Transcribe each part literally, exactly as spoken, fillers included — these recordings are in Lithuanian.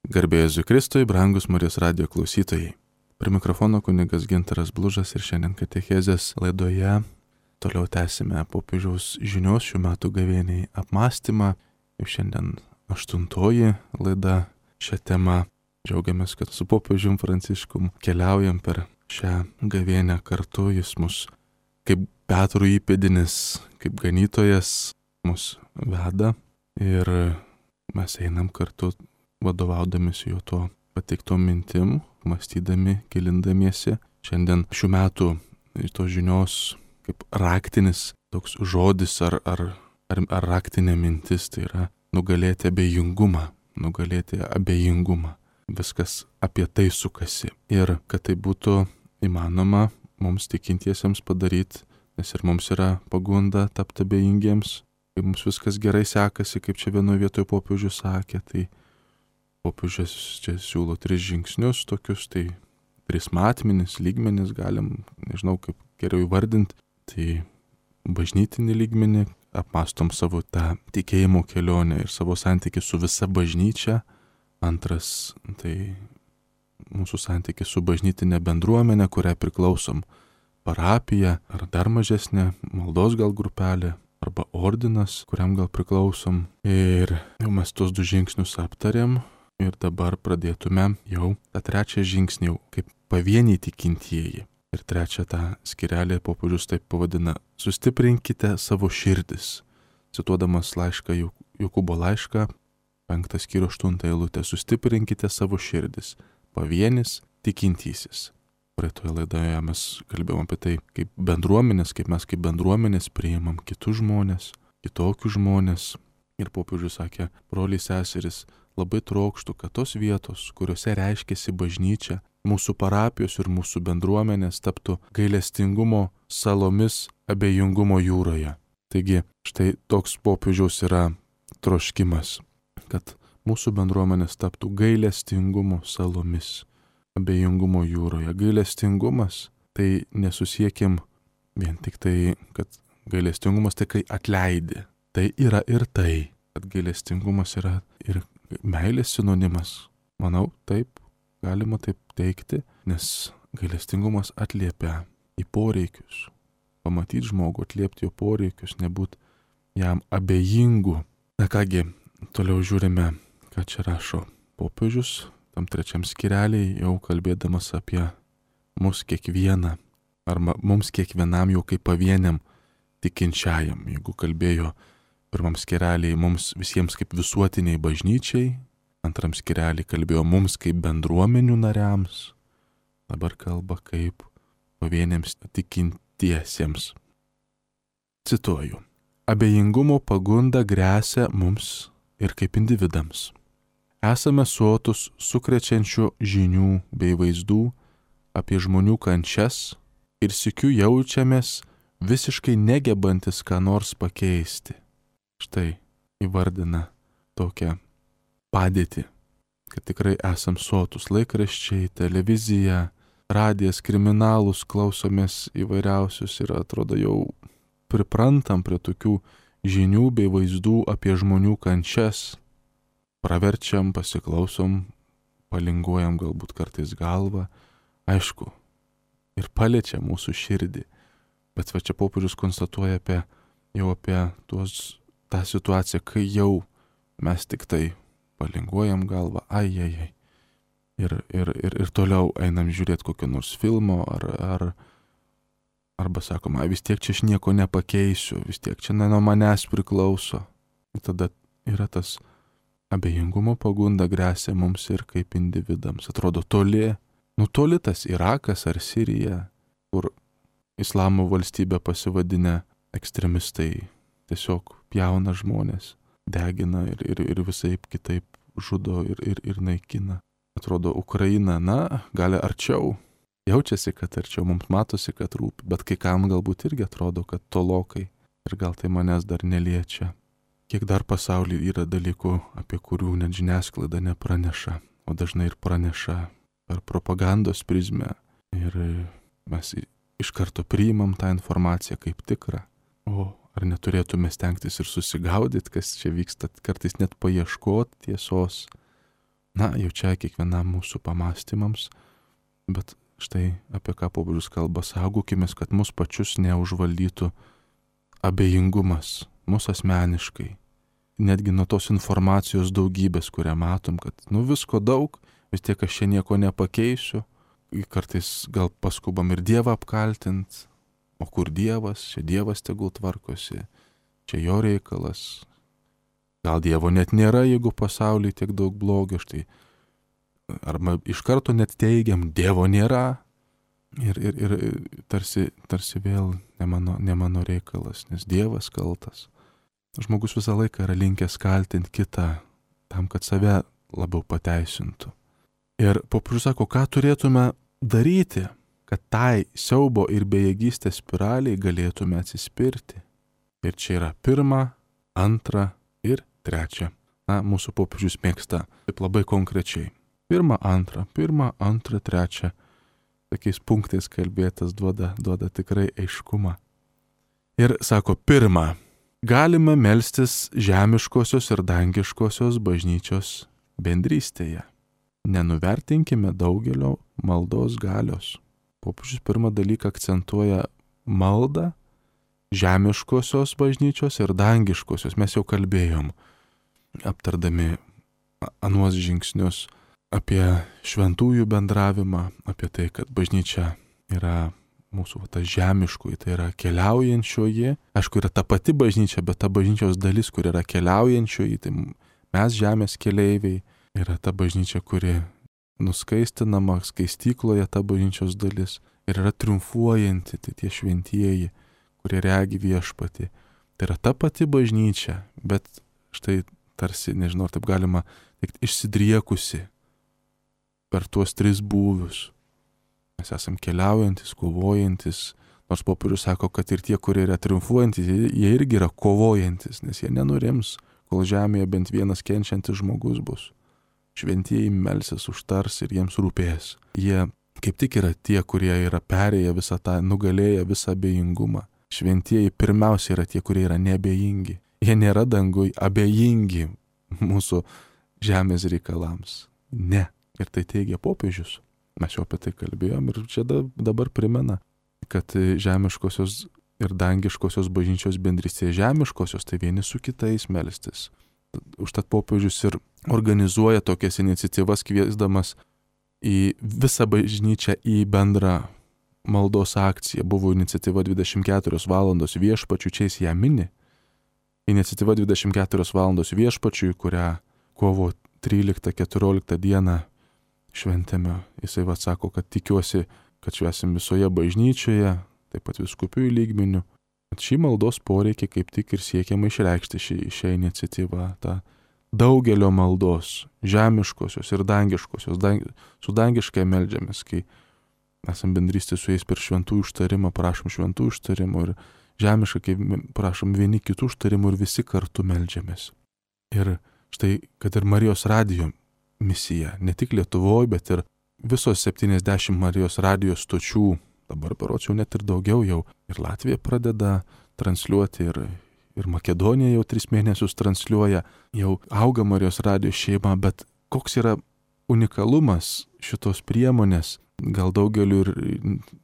Garbė Jėzui Kristui, brangus Marijos radijo klausytojai. Prie mikrofono kunigas Gintaras Blužas ir šiandien katechezės laidoje toliau tęsime popiežiaus žinios šių metų gavėniai apmąstymą. Jau šiandien aštuntoji laida šią temą. Džiaugiamės, kad su popiežium Pranciškum keliaujam per šią gavėnę kartu. Jis mus kaip Petro įpėdinis, kaip ganytojas mus veda ir mes einam kartu vadovaudamėsi jo to pateiktom mintim, mąstydami, gilindamiesi. Šiandien šių metų tos žinios kaip raktinis toks žodis ar, ar, ar, ar raktinė mintis, tai yra nugalėti abejingumą, nugalėti abejingumą. Viskas apie tai sukasi. Ir kad tai būtų įmanoma mums tikintiesiems padaryti, nes ir mums yra pagunda tapti abejingiems, kai mums viskas gerai sekasi, kaip čia vienoje vietoje popiežius sakė, tai popiežius čia siūlo tris žingsnius tokius, tai tris matmenis, lygmenis galim, nežinau kaip geriau įvardinti, tai bažnytinį lygmenį, apmastom savo tą tikėjimo kelionę ir savo santykį su visa bažnyčia. Antras, tai mūsų santykis su bažnytinė bendruomenė, kuriai priklausom, parapija ar dar mažesnė maldos gal grupelė arba ordinas, kuriam gal priklausom. Ir jau mes tos du žingsnius aptarėm ir dabar pradėtume jau tą trečią žingsnį jau kaip pavieniai tikintieji. Ir trečią tą skirelį popiežius taip pavadina: sustiprinkite savo širdis. Cituodamas laišką, Jokūbo laišką, penktas skyrius aštunta eilutė: sustiprinkite savo širdis, pavienis tikintysis. Praeitoje laidoje mes kalbėjome apie tai, kaip bendruomenės, kaip mes kaip bendruomenės priimam kitus žmonės, kitokius žmonės. Ir popiežius sakė: broliai seseris, labai trokštų, kad tos vietos, kuriuose reiškiasi bažnyčia, mūsų parapijos ir mūsų bendruomenės taptų gailestingumo salomis abejingumo jūroje. Taigi, štai toks popiežiaus yra troškimas, kad mūsų bendruomenės taptų gailestingumo salomis abejingumo jūroje. Gailestingumas tai nesusiekim vien tik tai, kad gailestingumas tai kai atleidi. Tai yra ir tai, kad gailestingumas yra ir meilės sinonimas. Manau, taip, galima taip teikti, nes gailestingumas atliepia į poreikius. Pamatyti žmogų, atliepti jo poreikius, nebūt jam abejingu. Na kągi, toliau žiūrime, ką čia rašo popiežius. Tam trečiam skireliai jau kalbėdamas apie mus kiekvieną, arba mums kiekvienam jau kaip pavieniam tikinčiajam. Jeigu kalbėjo pirmam skireliai mums visiems kaip visuotiniai bažnyčiai, antram skireliai kalbėjo mums kaip bendruomenių nariams, dabar kalba kaip pavieniams tikintiesiems. Cituoju: abejingumo pagunda gresia mums ir kaip individams. Esame sotus sukrečiančių žinių bei vaizdų apie žmonių kančias ir sykiu jaučiamės visiškai negebantis ką nors pakeisti. Štai įvardina tokią padėtį, kad tikrai esam sotus laikraščiai, televizija, radijas, kriminalus, klausomės įvairiausius ir atrodo jau priprantam prie tokių žinių bei vaizdų apie žmonių kančias. Praverčiam, pasiklausom, palinguojam galbūt kartais galvą, aišku, ir paliečia mūsų širdį. Bet va čia popiežius konstatuoja apie, jau apie tuos, tą situaciją, kai jau mes tik tai palinguojam galvą, ai, ai, ai. Ir, ir, ir, ir toliau einam žiūrėti kokio nors filmo, ar, ar, arba sakom, ai, vis tiek čia aš nieko nepakeisiu, vis tiek čia ne nuo manęs priklauso. Ir tada yra tas abejingumo pagunda gresia mums ir kaip individams. Atrodo toli, nu toli tas Irakas ar Sirija, kur islamo valstybė pasivadinę ekstremistai tiesiog pjauna žmonės, degina ir, ir, ir visaip kitaip žudo ir, ir, ir naikina. Atrodo Ukraina, na, gali arčiau, jaučiasi, kad arčiau, mums matosi, kad rūpi, bet kai kam galbūt irgi atrodo, kad tolokai ir gal tai manęs dar neliečia. Kiek dar pasaulyje yra dalykų, apie kurių net žiniasklaida nepraneša, o dažnai ir praneša per propagandos prizmę. Ir mes iš karto priimam tą informaciją kaip tikrą. O ar neturėtume stengtis ir susigaudyti, kas čia vyksta, kartais net paieškoti tiesos. Na, jau čia kiekvienam mūsų pamastymams, bet štai apie ką popiežius kalba, saugokimės, kad mus pačius neužvaldytų abejingumas, mūsų asmeniškai. Netgi nuo tos informacijos daugybės, kurią matom, kad nu visko daug, vis tiek aš čia nieko nepakeisiu, kartais gal paskubam ir Dievą apkaltint, o kur Dievas, čia Dievas tegul tvarkosi, čia jo reikalas. Gal Dievo net nėra, jeigu pasaulyje tiek daug blogio, štai. Arba iš karto net teigiam, Dievo nėra. Ir, ir, ir tarsi, tarsi vėl ne mano, ne mano reikalas, nes Dievas kaltas. Žmogus visą laiką yra linkęs kaltinti kitą, tam, kad save labiau pateisintų. Ir popiežius sako, ką turėtume daryti, kad tai siaubo ir bejėgystės spiraliai galėtume atsispirti. Ir čia yra pirma, antra ir trečia. Na, mūsų popiežius mėgsta taip labai konkrečiai. Pirma, antra, pirma, antra, trečia. Tokiais punktais kalbėtas duoda, duoda tikrai aiškumą. Ir sako, pirma, galime melstis žemiškosios ir dangiškosios bažnyčios bendrystėje. Nenuvertinkime daugelio maldos galios. Popiežius pirmą dalyką akcentuoja maldą žemiškosios bažnyčios ir dangiškosios. Mes jau kalbėjom, aptardami anuos žingsnius apie šventųjų bendravimą, apie tai, kad bažnyčia yra mūsų ta žemiškoji, tai yra keliaujančioji. Aišku, yra ta pati bažnyčia, bet ta bažnyčios dalis, kur yra keliaujančioji, tai mes žemės keleiviai, yra ta bažnyčia, kuri nuskaistinama, skaistykloje ta bažnyčios dalis ir yra triumfuojanti, tai tie šventieji, kurie regi viešpatį. Tai yra ta pati bažnyčia, bet štai tarsi, nežinau, ar taip galima teikti, išsidriekusi per tuos tris būvius. Mes esam keliaujantis, kovojantis, nors popiežius sako, kad ir tie, kurie yra triumfuojantis, jie irgi yra kovojantis, nes jie nenurims, kol žemėje bent vienas kenčiantis žmogus bus. Šventieji melsis, užtars ir jiems rūpės. Jie kaip tik yra tie, kurie yra perėję visą tą, nugalėję visą abejingumą. Šventieji pirmiausia yra tie, kurie yra neabejingi. Jie nėra dangui abejingi mūsų žemės reikalams. Ne. Ir tai teigia popiežius. Mes jau apie tai kalbėjom ir čia dabar primena, kad žemiškosios ir dangiškosios bažnyčios bendrystėje žemiškosios, tai vieni su kitais melstis. Užtat popiežius ir organizuoja tokias iniciatyvas, kviesdamas į visą bažnyčią į bendrą maldos akciją. Buvo iniciatyva dvidešimt keturios valandos viešpačiui, čia jis ją mini. Iniciatyva dvidešimt keturios valandos viešpačiui, kurią kovo tryliktą keturioliktą dieną šventėme. Jisai atsako, kad tikiuosi, kad švęsim visoje bažnyčioje, taip pat vyskupijų lygmeniu. Šį maldos poreikį kaip tik ir siekiama išreikšti šį, šią iniciatyvą, tą daugelio maldos, žemiškosios ir dangiškosios, dang, su dangiškai meldžiamės, kai esam bendrystė su jais per šventų užtarimą, prašom šventų užtarimų ir žemiškai, kai prašom vieni kitų užtarimų ir visi kartu meldžiamės. Ir štai, kad ir Marijos radijo misija, ne tik Lietuvoje, bet ir visos septyniasdešimt Marijos radijos stočių, dabar berods jau net ir daugiau jau, ir Latvija pradeda transliuoti, ir, ir Makedonija jau tris mėnesius transliuoja, jau auga Marijos radijos šeima, bet koks yra unikalumas šitos priemonės, gal daugeliu ir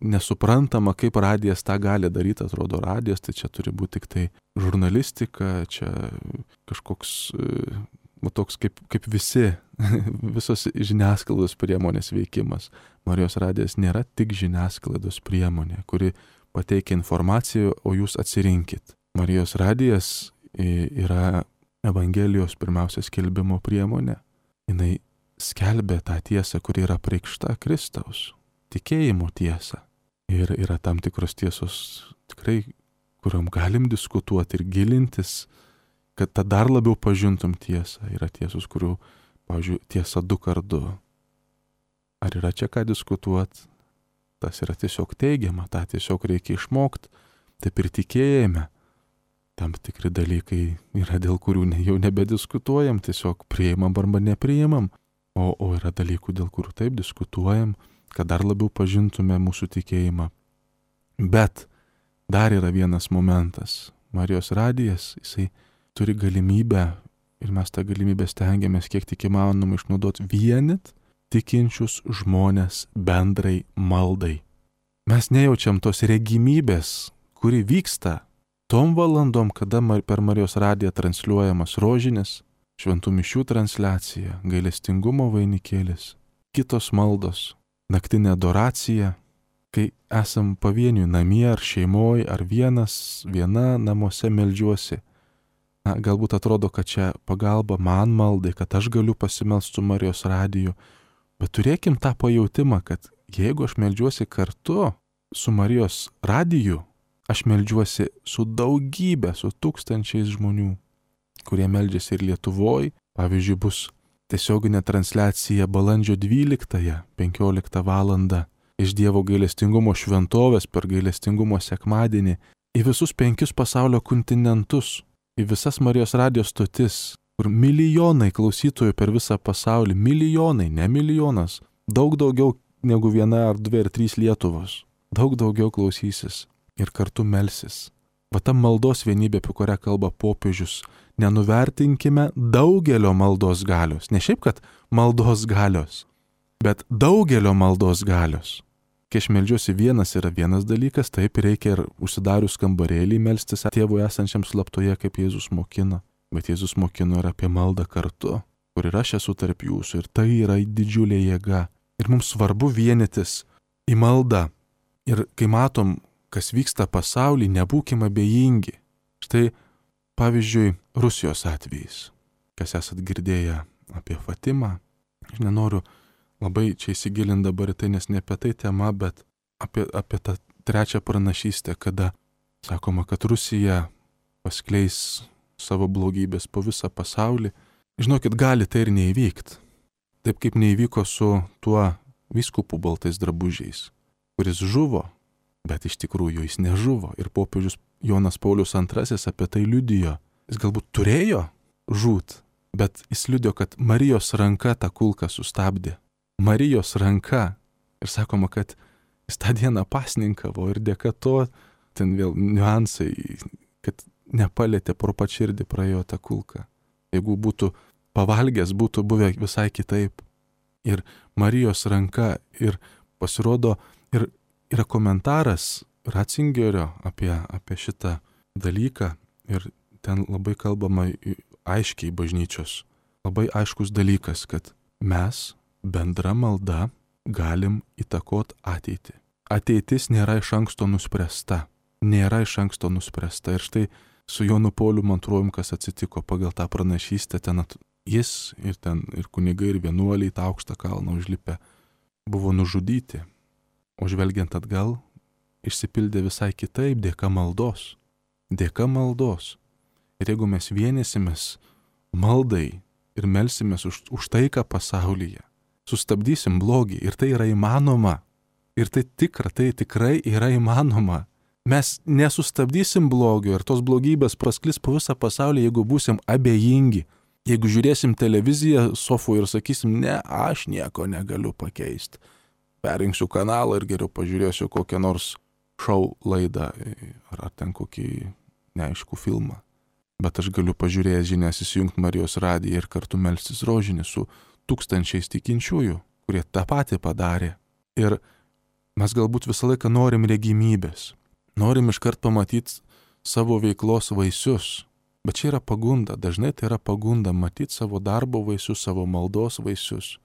nesuprantama, kaip radijas tą gali daryti, atrodo radijas, tai čia turi būti tik tai žurnalistika, čia kažkoks, va toks kaip, kaip visi, visos žiniasklaidos priemonės veikimas. Marijos radijas nėra tik žiniasklaidos priemonė, kuri pateikia informaciją, o jūs atsirinkit. Marijos radijas yra Evangelijos pirmiausia skelbimo priemonė. Jinai skelbia tą tiesą, kuri yra preikšta Kristaus, tikėjimo tiesą. Ir yra tam tikros tiesos tikrai, kuriuom galim diskutuoti ir gilintis, kad tą dar labiau pažintum tiesą. Yra tiesos, kurių, pavyzdžiui, tiesa du kart du. Ar yra čia ką diskutuoti? Tas yra tiesiog teigiama, tą tiesiog reikia išmokti. Taip ir tikėjime. Tam tikri dalykai yra, dėl kurių ne, jau nebediskutuojam, tiesiog priimam arba nepriimam. O, o yra dalykų, dėl kurių taip diskutuojam, kad dar labiau pažintume mūsų tikėjimą. Bet dar yra vienas momentas. Marijos radijas, jisai turi galimybę ir mes tą galimybę stengiamės kiek tik įmanoma išnaudoti vienit tikinčius žmonės bendrai maldai. Mes nejaučiam tos regimybės, kuri vyksta tom valandom, kada per Marijos radiją transliuojamas rožinis, šventų mišių transliacija, gailestingumo vainikėlis, kitos maldos, naktinė adoracija, kai esam pavieniui namie ar šeimoje, ar vienas, viena namuose meldžiuosi. Na, galbūt atrodo, kad čia pagalba man maldai, kad aš galiu pasimelsti su Marijos radiju, bet turėkim tą pajautimą, kad jeigu aš meldžiuosi kartu su Marijos radiju, aš meldžiuosi su daugybė, su tūkstančiais žmonių, kurie meldžiasi ir Lietuvoje. Pavyzdžiui, bus tiesioginė transliacija balandžio dvyliktąją, penkioliktą valandą iš Dievo gailestingumo šventovės per gailestingumo sekmadienį į visus penkius pasaulio kontinentus, į visas Marijos radijos stotis, kur milijonai klausytojų per visą pasaulį, milijonai, ne milijonas, daug daugiau negu viena ar dvi ar trys Lietuvos, daug daugiau klausysis ir kartu melsis. Va ta maldos vienybė, apie kurią kalba popiežius, nenuvertinkime daugelio maldos galios. Ne šiaip, kad maldos galios, bet daugelio maldos galios. Kai aš meldžiuosi vienas yra vienas dalykas, taip reikia ir užsidarius kambarėlį melstis Tėvui esančiam slaptoje, kaip Jėzus mokino. Bet Jėzus mokino ir apie maldą kartu, kur ir aš esu tarp jūsų. Ir tai yra didžiulė jėga. Ir mums svarbu vienytis į maldą. Ir kai matom, kas vyksta pasaulyje, nebūkime abejingi. Štai, pavyzdžiui, Rusijos atvejais. Kas esat girdėję apie Fatimą. Aš nenoriu labai čia įsigilinti dabar į tai, nes ne apie tai tema, bet apie, apie tą trečią pranašystę, kada sakoma, kad Rusija paskleis savo blogybės po visą pasaulį. Žinokit, gali tai ir neįvykti. Taip kaip neįvyko su tuo vyskupu baltais drabužiais, kuris žuvo, bet iš tikrųjų jis nežuvo. Ir popiežius Jonas Paulius antrasis apie tai liudijo. Jis galbūt turėjo žūt, bet jis liudijo, kad Marijos ranka tą kulką sustabdė. Marijos ranka. Ir sakoma, kad jis tą dieną pasninkavo ir dėka to, ten vėl niuansai, kad nepalėtė pro pačirdį praėjo tą kulką. Jeigu būtų pavalgęs, būtų buvę visai kitaip. Ir Marijos ranka, ir pasirodo, ir yra komentaras Ratzingerio apie, apie šitą dalyką, ir ten labai kalbama aiškiai bažnyčios. Labai aiškus dalykas, kad mes bendra malda galim įtakot ateitį. Ateitis nėra iš anksto nuspręsta. Nėra iš anksto nuspręsta. Ir štai su Jonu Pauliu antruoju, kas atsitiko pagal tą pranašystę, ten at... jis ir ten ir kunigai, ir vienuoliai tą aukštą kalną užlipę buvo nužudyti. O žvelgiant atgal, išsipildė visai kitaip dėka maldos. Dėka maldos. Ir jeigu mes vienysimės maldai ir melsimės už, už taiką pasaulyje, sustabdysim blogį ir tai yra įmanoma. Ir tai tikra, tai tikrai yra įmanoma. Mes nesustabdysim blogio ir tos blogybės prasklis po visą pasaulį, jeigu būsim abejingi. Jeigu žiūrėsim televiziją sofų ir sakysim, ne, aš nieko negaliu pakeisti. Perrinksiu kanalą ir geriau pažiūrėsiu kokią nors šou laidą ar, ar ten kokį neaiškų filmą. Bet aš galiu pažiūrėjęs žinias įsijungti Marijos radiją ir kartu melstis rožinį su tūkstančiais tikinčiųjų, kurie tą patį padarė. Ir mes galbūt visą laiką norim regimybės. Norim iškart pamatyti savo veiklos vaisius. Bet čia yra pagunda. Dažnai tai yra pagunda matyti savo darbo vaisius, savo maldos vaisius.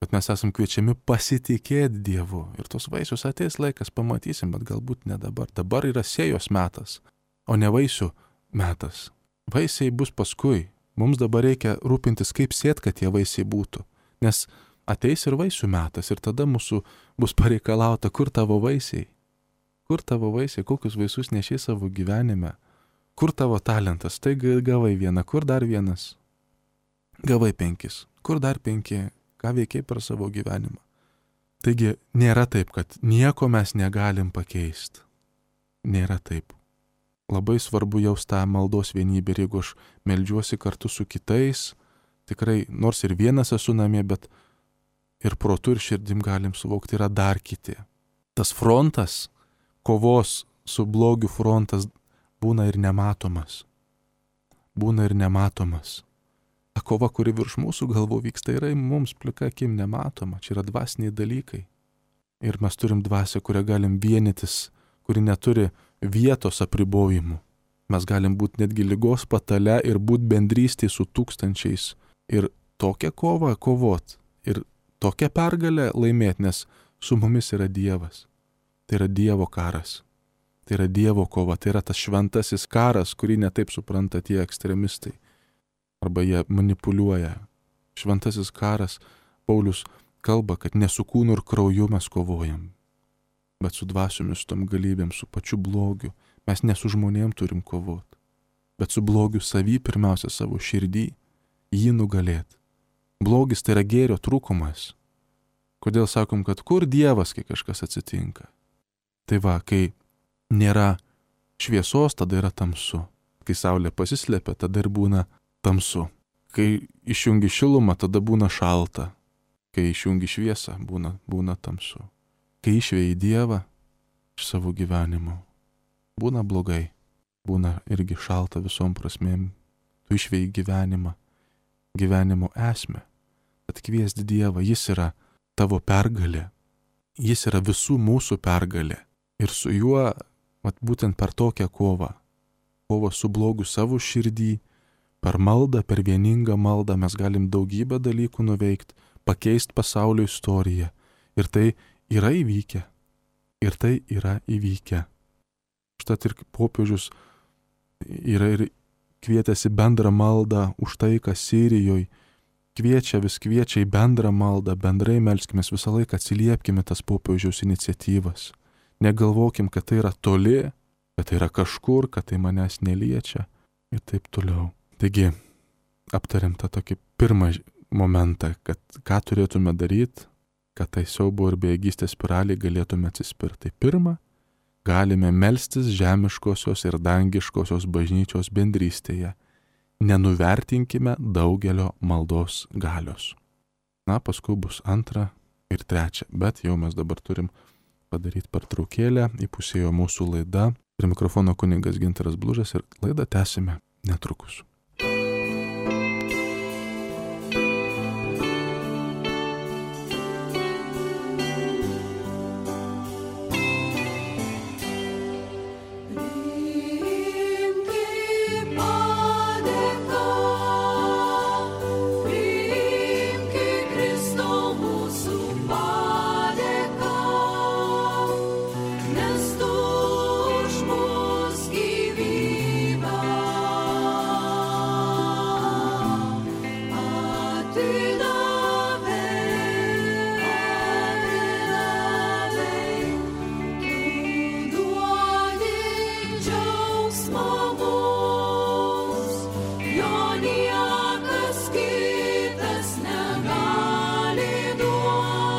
Bet mes esam kviečiami pasitikėti Dievu. Ir tos vaisius ateis laikas, pamatysim, bet galbūt ne dabar. Dabar yra sėjos metas, o ne vaisių metas. Vaisiai bus paskui. Mums dabar reikia rūpintis, kaip sėt, kad tie vaisiai būtų. Nes ateis ir vaisių metas ir tada mūsų bus pareikalauta, kur tavo vaisiai. Kur tavo vaisiai, kokius vaisius nešiai savo gyvenime. Kur tavo talentas, tai gavai vieną, kur dar vienas. Gavai penkis, kur dar penki, ką veikiai per savo gyvenimą. Taigi nėra taip, kad nieko mes negalim pakeisti. Nėra taip. Labai svarbu jaust tą maldos vienybę ir jeigu aš meldžiuosi kartu su kitais, tikrai, nors ir vienas esu namie, bet ir protu ir širdim galim suvokti, yra dar kiti. Tas frontas, kovos su blogiu frontas būna ir nematomas. Būna ir nematomas. Ta kova, kuri virš mūsų galvų vyksta, yra mums plika akim nematoma. Čia yra dvasiniai dalykai. Ir mes turim dvasią, kurią galim vienytis, kuri neturi vietos apribojimų. Mes galim būti netgi ligos patale ir būti bendrystėje su tūkstančiais. Ir tokią kovą kovot. Ir tokią pergalę laimėti, nes su mumis yra Dievas. Tai yra Dievo karas. Tai yra Dievo kova. Tai yra tas šventasis karas, kurį netaip supranta tie ekstremistai. Arba jie manipuliuoja. Šventasis karas, Paulius kalba, kad ne su kūnu ir krauju mes kovojam, bet su dvasiomis, tom galybėm, su pačiu blogiu. Mes ne su žmonėm turim kovoti, bet su blogiu savy, pirmiausia savo širdį, jį nugalėti. Blogis tai yra gėrio trūkumas. Kodėl sakom, kad kur Dievas, kai kažkas atsitinka? Tai va, kai nėra šviesos, tada yra tamsu. Kai saulė pasislėpia, tada ir būna tamsu. Kai išjungi šilumą, tada būna šalta. Kai išjungi šviesą, būna, būna tamsu. Kai išvėjai Dievą iš savo gyvenimo, būna blogai. Būna irgi šalta visom prasmėm. Tu išvėjai gyvenimą, gyvenimo esmę. Atkviesti Dievą, jis yra tavo pergalė. Jis yra visų mūsų pergalė. Ir su juo, mat, būtent per tokią kovą, kovą su blogu savo širdį, per maldą, per vieningą maldą mes galim daugybę dalykų nuveikti, pakeisti pasaulio istoriją. Ir tai yra įvykę. Ir tai yra įvykę. Štat ir popiežius yra ir kvietėsi bendrą maldą už taiką Sirijoje. Kviečia, vis kviečia į bendrą maldą, bendrai melskimės, visą laiką atsiliepkime tas popiežiaus iniciatyvas. Negalvokim, kad tai yra toli, kad tai yra kažkur, kad tai manęs neliečia ir taip toliau. Taigi, aptariam tą tokį pirmą momentą, kad ką turėtume daryti, kad tai siaubo ir bejėgystės spiraliai galėtume atsispirti. Tai pirma, galime melstis žemiškosios ir dangiškosios bažnyčios bendrystėje. Nenuvertinkime daugelio maldos galios. Na, paskui bus antra ir trečia, bet jau mes dabar turim padaryti pertraukėlę, įpusėjo mūsų laida. Prie mikrofono kunigas Gintaras Blužas ir laidą tęsime netrukus. Niekas kitas negali duoti.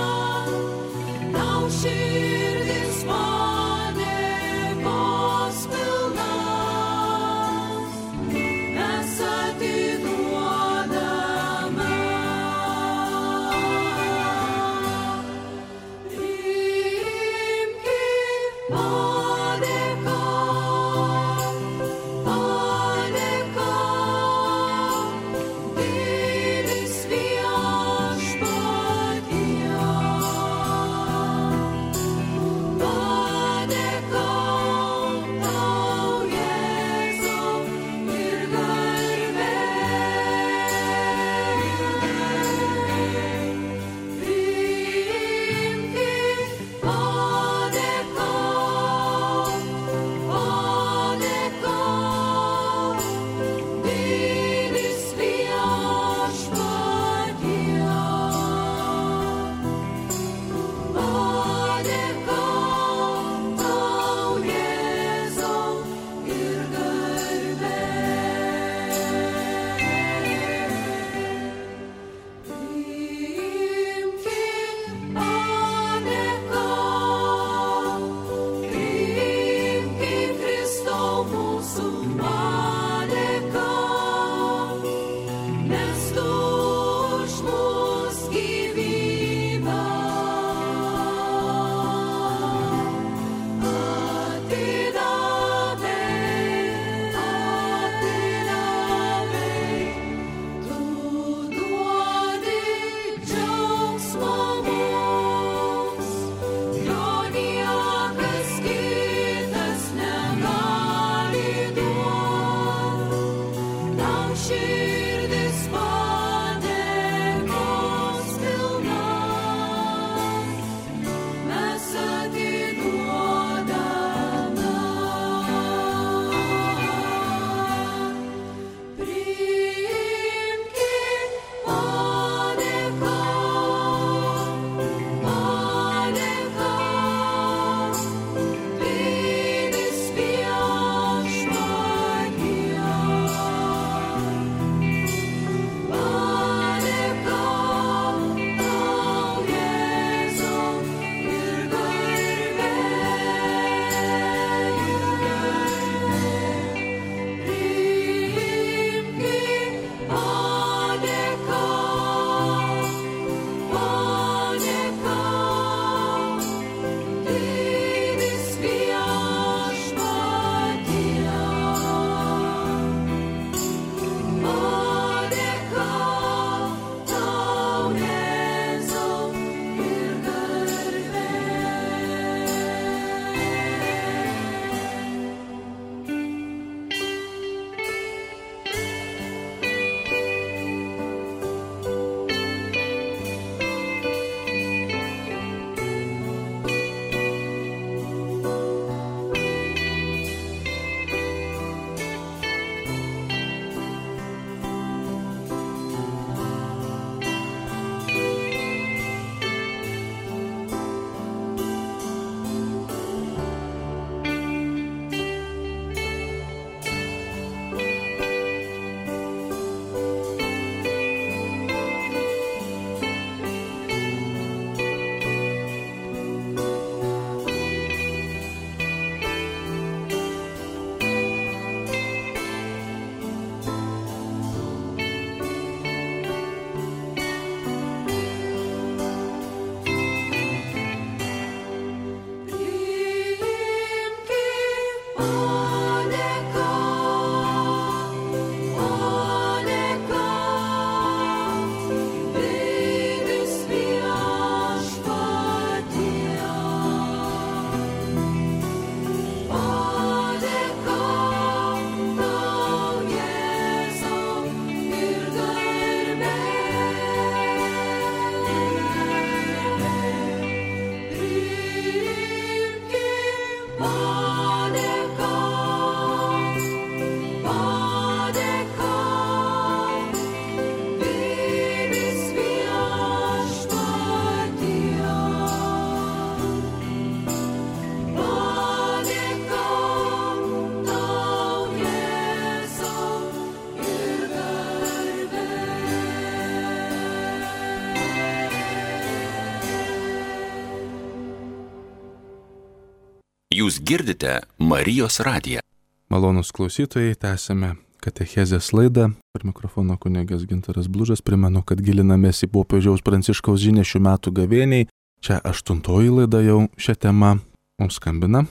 Jūs girdite Marijos radiją. Malonūs klausytojai, tęsime katechezės laidą. Per mikrofono kunigas Gintaras Blužas. Primenu, kad gilinamės į popiežiaus Pranciškaus žinią šių metų gavėniai. Čia aštuntoji laida jau šią temą. Mums skambina.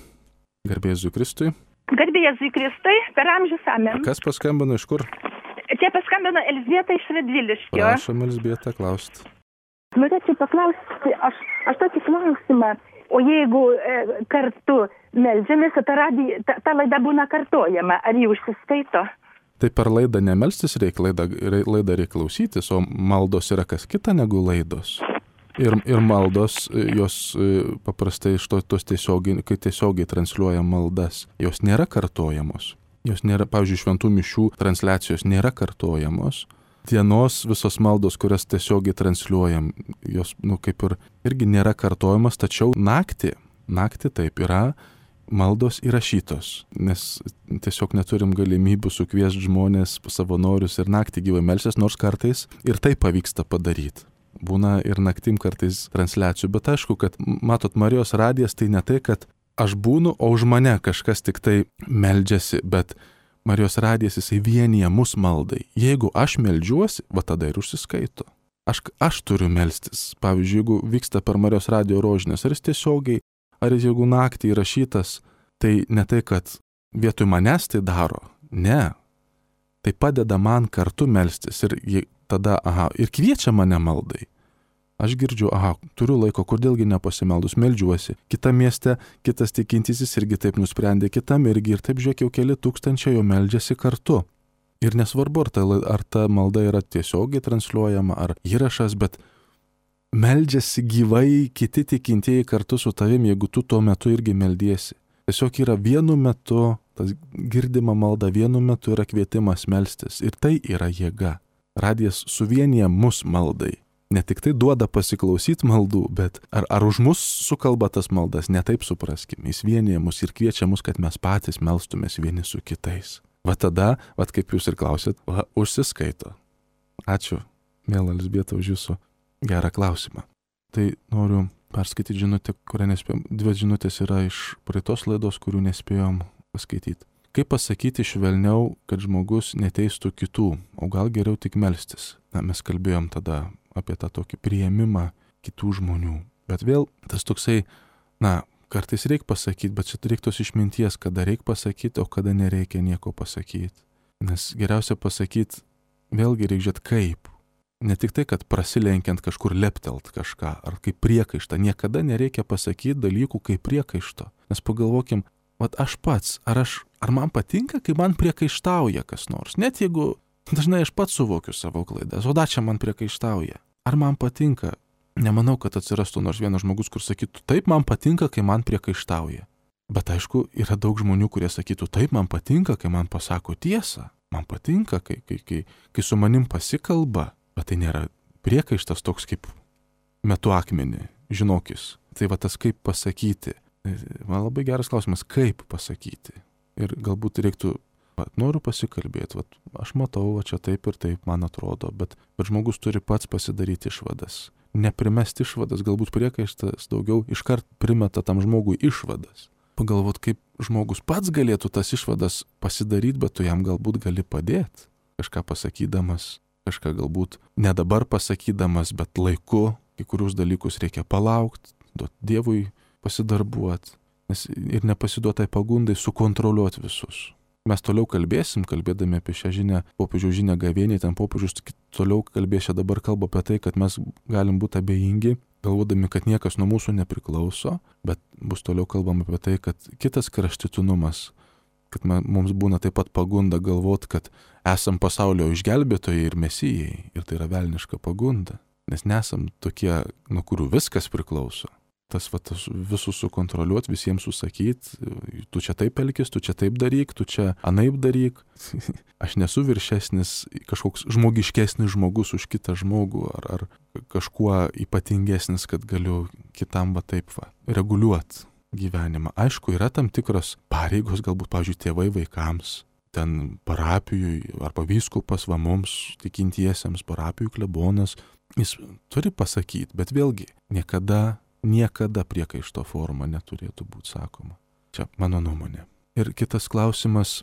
Garbė Jėzui Kristui. Garbė Jėzui Kristui, per amžius amen. Kas paskambino, iš kur? Čia paskambino Elzbieta iš Radviliškio. Prašom, Elzbieta, klausti. Norėčiau paklausti, aš, aš tokį klausimą. O jeigu e, kartu meldžiamės, ta, radija, ta, ta laida būna kartojama, ar jį užsiskaito? Tai per laidą nemelstis reikia, laidą, laidą reikia klausytis, o maldos yra kas kita negu laidos. Ir, ir maldos, jos paprastai iš to, tos tiesiogiai, kai tiesiogiai transliuoja maldas, jos nėra kartojamos. Jos nėra, pavyzdžiui, šventų mišių transliacijos nėra kartojamos. Dienos visos maldos, kurias tiesiogiai transliuojam, jos, nu, kaip ir irgi nėra kartojamas, tačiau naktį, naktį taip yra maldos įrašytos, nes tiesiog neturim galimybių sukviesti žmonės, savanorius ir naktį gyvai melsis, nors kartais ir tai pavyksta padaryti. Būna ir naktim kartais transliacijų, bet aišku, kad, matot, Marijos radijas tai ne tai, kad aš būnu, o už mane kažkas tik tai meldžiasi, bet Marijos radijas jisai vienyje mus maldai. Jeigu aš meldžiuosi, va tada ir užsiskaito. Aš, aš turiu melstis. Pavyzdžiui, jeigu vyksta per Marijos radijo rožinės, ar jis tiesiogiai, ar jis jeigu naktį įrašytas, tai ne tai, kad vietoj manęs tai daro. Ne. Tai padeda man kartu melstis ir tada, aha, ir kviečia mane maldai. Aš girdžiu, aha, turiu laiko, kodėlgi nepasimeldus, meldžiuosi. Kita mieste, kitas tikintysis irgi taip nusprendė, kitam irgi ir taip žiūrėk, jau keli tūkstančiai jau meldžiasi kartu. Ir nesvarbu, ar ta, ar ta malda yra tiesiogiai transliuojama, ar įrašas, bet meldžiasi gyvai kiti tikintieji kartu su tavim, jeigu tu tuo metu irgi meldiesi. Tiesiog yra vienu metu, tas girdima malda vienu metu yra kvietimas melstis ir tai yra jėga. Radijas suvienyje mus maldai. Ne tik tai duoda pasiklausyti maldų, bet ar, ar už mus sukalba tas maldas, ne taip supraskim. Jis vienyje mus ir kviečia mus, kad mes patys melstumės vieni su kitais. Va tada, va kaip jūs ir klausėt, va, užsiskaito. Ačiū, mėla Elzbieta, už jūsų gerą klausimą. Tai noriu perskaityti žinutę, kurią nespėjom. Dvi žinutės yra iš praeitos laidos, kurių nespėjom paskaityti. Kaip pasakyti švelniau, kad žmogus neteistų kitų, o gal geriau tik melstis? Na, mes kalbėjom tada apie tą tokį priėmimą kitų žmonių. Bet vėl tas toksai, na, kartais reikia pasakyti, bet čia reikia tos išminties, kada reikia pasakyti, o kada nereikia nieko pasakyti. Nes geriausia pasakyti, vėlgi reikia žiūrėti kaip. Ne tik tai, kad prasilenkiant kažkur leptelt kažką, ar kaip priekaištą. Niekada nereikia pasakyti dalykų kaip priekaišto. Nes pagalvokim, vat aš pats, ar, aš, ar man patinka, kai man priekaištauja kas nors. Net jeigu dažnai aš pats suvokiu savo klaidas, o da čia man priekaištauja. Ar man patinka? Nemanau, kad atsirastų nors vienas žmogus, kur sakytų, taip man patinka, kai man priekaištauja. Bet aišku, yra daug žmonių, kurie sakytų, taip man patinka, kai man pasako tiesą. Man patinka, kai, kai, kai, kai su manim pasikalba. Bet tai nėra priekaištas toks kaip metu akmenį, žinokis. Tai va tas kaip pasakyti. Man labai geras klausimas, kaip pasakyti. Ir galbūt reiktų, va, noriu pasikalbėti, va, aš matau, va, čia taip ir taip man atrodo, bet, bet žmogus turi pats pasidaryti išvadas. Neprimesti išvadas, galbūt priekaištas daugiau iškart primeta tam žmogui išvadas. Pagalvot, kaip žmogus pats galėtų tas išvadas pasidaryti, bet tu jam galbūt gali padėti. Kažką pasakydamas, kažką galbūt ne dabar pasakydamas, bet laiku, kai kurius dalykus reikia palaukti, duoti Dievui pasidarbuoti, nes ir nepasiduotai pagundai sukontroliuoti visus. Mes toliau kalbėsim, kalbėdami apie šią žinią, popiežiaus žinią gavėniai, ten popiežius toliau kalbės, čia dabar kalba apie tai, kad mes galim būti abejingi, galvodami, kad niekas nuo mūsų nepriklauso, bet bus toliau kalbama apie tai, kad kitas kraštutinumas, kad mums būna taip pat pagunda galvoti, kad esam pasaulio išgelbėtojai ir mesijai, ir tai yra velniška pagunda, nes nesam tokie, nuo kurių viskas priklauso. Tas, va, tas visus sukontroliuoti, visiems susakyti, tu čia taip elkis, tu čia taip daryk, tu čia anaip daryk. Aš nesu viršesnis, kažkoks žmogiškesnis žmogus už kitą žmogų, ar, ar kažkuo ypatingesnis, kad galiu kitam va taip va, reguliuoti gyvenimą. Aišku, yra tam tikros pareigos, galbūt, pavyzdžiui, tėvai vaikams, ten parapijui, arba vyskupas va mums, tikintiesiems, parapijų klebonas, jis turi pasakyti, bet vėlgi, niekada Niekada priekaišto forma neturėtų būti sakoma. Čia mano nuomonė. Ir kitas klausimas,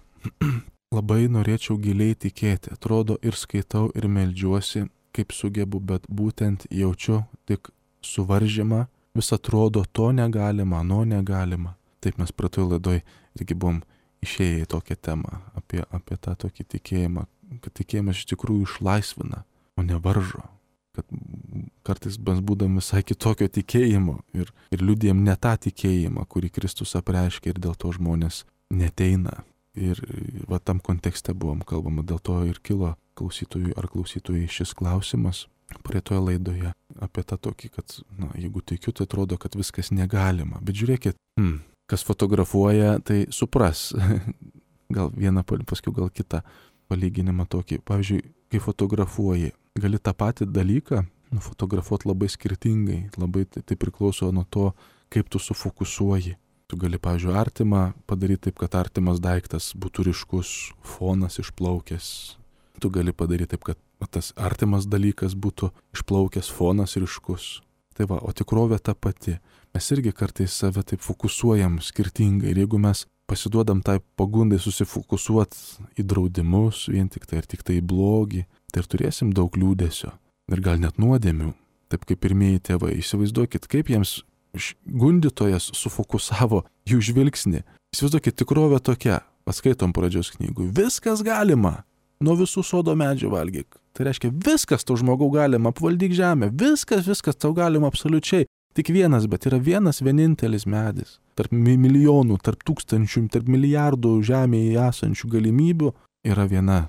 labai norėčiau giliai tikėti, atrodo ir skaitau ir meldžiuosi, kaip sugebu, bet būtent jaučiu tik suvaržymą, vis atrodo to negalima, ano negalima. Taip mes praeitoj laidoj irgi buvom išėję į tokią temą, apie, apie tą tokį tikėjimą, kad tikėjimas iš tikrųjų išlaisvina, o ne varžo. Kad kartais mes būdam visai kitokio tikėjimo ir, ir liudijam ne tą tikėjimą, kurį Kristus apreiškia ir dėl to žmonės neteina. Ir va tam kontekste buvom kalbama, dėl to ir kilo klausytojui ar klausytojai šis klausimas praeitoje laidoje apie tą tokį, kad na, jeigu tikiu, tai atrodo, kad viskas negalima. Bet žiūrėkit, hmm, kas fotografuoja, tai supras. Gal vieną, paskui gal kitą palyginimą tokį. Pavyzdžiui, kai fotografuoji, gali tą patį dalyką nufotografuoti labai skirtingai. Labai tai, tai priklauso nuo to, kaip tu sufokusuoji. Tu gali, pavyzdžiui, artimą padaryti taip, kad artimas daiktas būtų ryškus, fonas išplaukęs. Tu gali padaryti taip, kad tas artimas dalykas būtų išplaukęs, fonas ryškus. Tai va, o tikrovė ta pati. Mes irgi kartais save taip fokusuojam skirtingai. Ir jeigu mes pasiduodam tai pagundai susifokusuoti į draudimus, vien tik tai ir tik tai į blogį, tai ir turėsim daug liūdesio. Ir gal net nuodėmių. Taip kaip pirmieji tėvai. Įsivaizduokit, kaip jiems gundytojas sufokusavo jų žvilgsnį. Įsivaizduokit, tikrovė tokia. Paskaitom pradžios knygų. Viskas galima. Nuo visų sodo medžių valgyk. Tai reiškia, viskas tau žmogau galima, apvaldyk žemę. Viskas, viskas tau galima absoliučiai. Tik vienas, bet yra vienas vienintelis medis. Tarp milijonų, tarp tūkstančių, tarp milijardų žemėje esančių galimybių yra viena.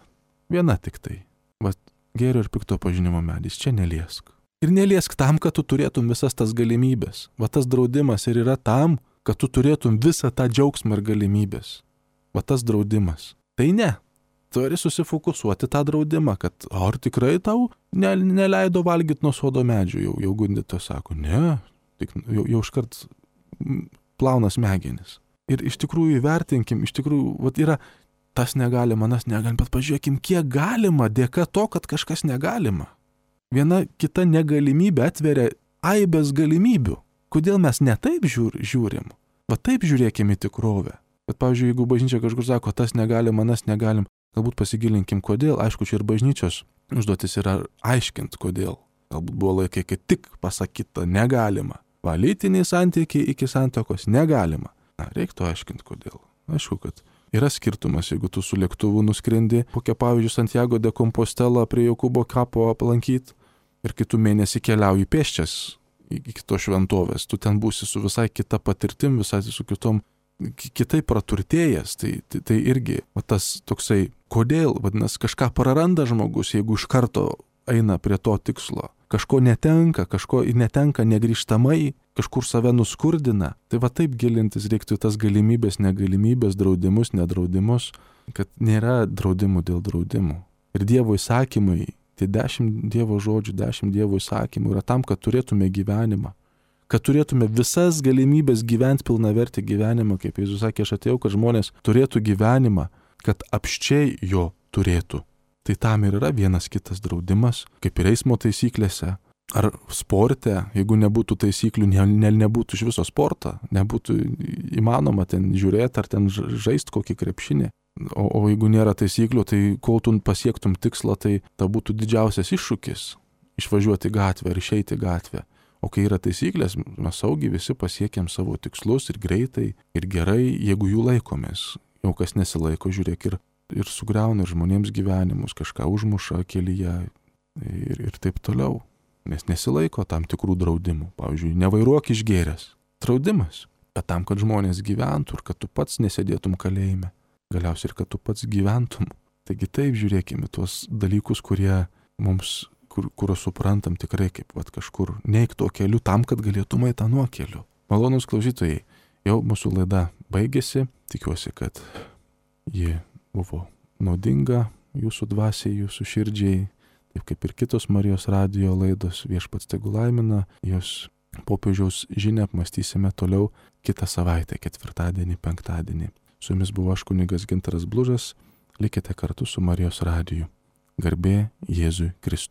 Viena tik tai. Va, gėrio ir pikto pažinimo medis. Čia neliesk. Ir neliesk tam, kad tu turėtum visas tas galimybės. Va tas draudimas ir yra tam, kad tu turėtum visą tą džiaugsmą ir galimybės. Va tas draudimas. Tai ne. Turi susifokusuoti tą draudimą, kad ar tikrai tau ne, neleido valgyti nuo sodo medžių. Jau, jau gundytojas sako, ne, tik, jau, jau iškart plauna smegenis. Ir iš tikrųjų įvertinkim, iš tikrųjų, vat yra tas negalima, nas negalima, bet pažiūrėkim, kiek galima dėka to, kad kažkas negalima. Viena kita negalimybė atveria aibės galimybių. Kodėl mes ne taip žiūr, žiūrim? Va taip žiūrėkim į tikrovę. Bet, pavyzdžiui, jeigu bažnyčia kažkur sako, tas negalima, nas negalim, galbūt pasigilinkim, kodėl. Aišku, čia ir bažnyčios užduotis yra aiškint, kodėl. Galbūt buvo laikai, kai tik pasakyta negalima. Va, lytiniai santykiai iki santuokos negalima. Na, reiktų aiškint, kodėl. Aišku, kad yra skirtumas, jeigu tu su lėktuvu nuskrendi, kokią pavyzdžiui Santiago de Compostela prie Jokūbo kapo aplankyti ir kitų mėnesį keliauji pėsčias iki kitos šventovės. Tu ten būsi su visai kita patirtim, visai su kitom kitaip praturtėjęs, tai, tai, tai irgi va, tas toksai, kodėl, vadinasi, kažką praranda žmogus, jeigu iš karto eina prie to tikslo. Kažko netenka, kažko netenka negrįžtamai, kažkur save nuskurdina. Tai va taip gilintis reiktų tas galimybės, negalimybės, draudimus, nedraudimus, kad nėra draudimų dėl draudimų. Ir Dievo įsakymai, tie dešimt Dievo žodžių, dešimt Dievo įsakymų yra tam, kad turėtume gyvenimą. Kad turėtume visas galimybės gyventi pilnavertį gyvenimą, kaip Jėzus sakė, aš atėjau, kad žmonės turėtų gyvenimą, kad apščiai jo turėtų. Tai tam ir yra vienas kitas draudimas, kaip ir eismo taisyklėse, ar sporte, jeigu nebūtų taisyklių, ne, ne, nebūtų iš viso sporto, nebūtų įmanoma ten žiūrėti ar ten žaisti kokį krepšinį. O, o jeigu nėra taisyklių, tai kol tu pasiektum tikslą, tai ta būtų didžiausias iššūkis išvažiuoti gatvę ir išeiti gatvę. O kai yra taisyklės, mes saugiai visi pasiekėm savo tikslus ir greitai, ir gerai, jeigu jų laikomės. Jau kas nesilaiko, žiūrėk, ir, ir sugriauna ir žmonėms gyvenimus, kažką užmuša kelyje ir, ir taip toliau. Nes nesilaiko tam tikrų draudimų. Pavyzdžiui, nevairuok išgėręs. Draudimas. Bet tam, kad žmonės gyventų ir kad tu pats nesėdėtum kalėjime. Galiausiai ir kad tu pats gyventum. Taigi taip žiūrėkime tuos dalykus, kurie mums kur, kur suprantam tikrai kaip vat, kažkur neik to keliu tam, kad galėtume į tą nuokeliu. Malonūs klausytojai, jau mūsų laida baigėsi. Tikiuosi, kad ji buvo naudinga jūsų dvasiai, jūsų širdžiai, taip kaip ir kitos Marijos radijo laidos. Viešpats tegu laimina. Jos popiežiaus žinią apmąstysime toliau kitą savaitę, ketvirtadienį, penktadienį. Su jumis buvo aš kunigas Gintaras Blužas. Likite kartu su Marijos radiju. Garbė Jėzui Kristui.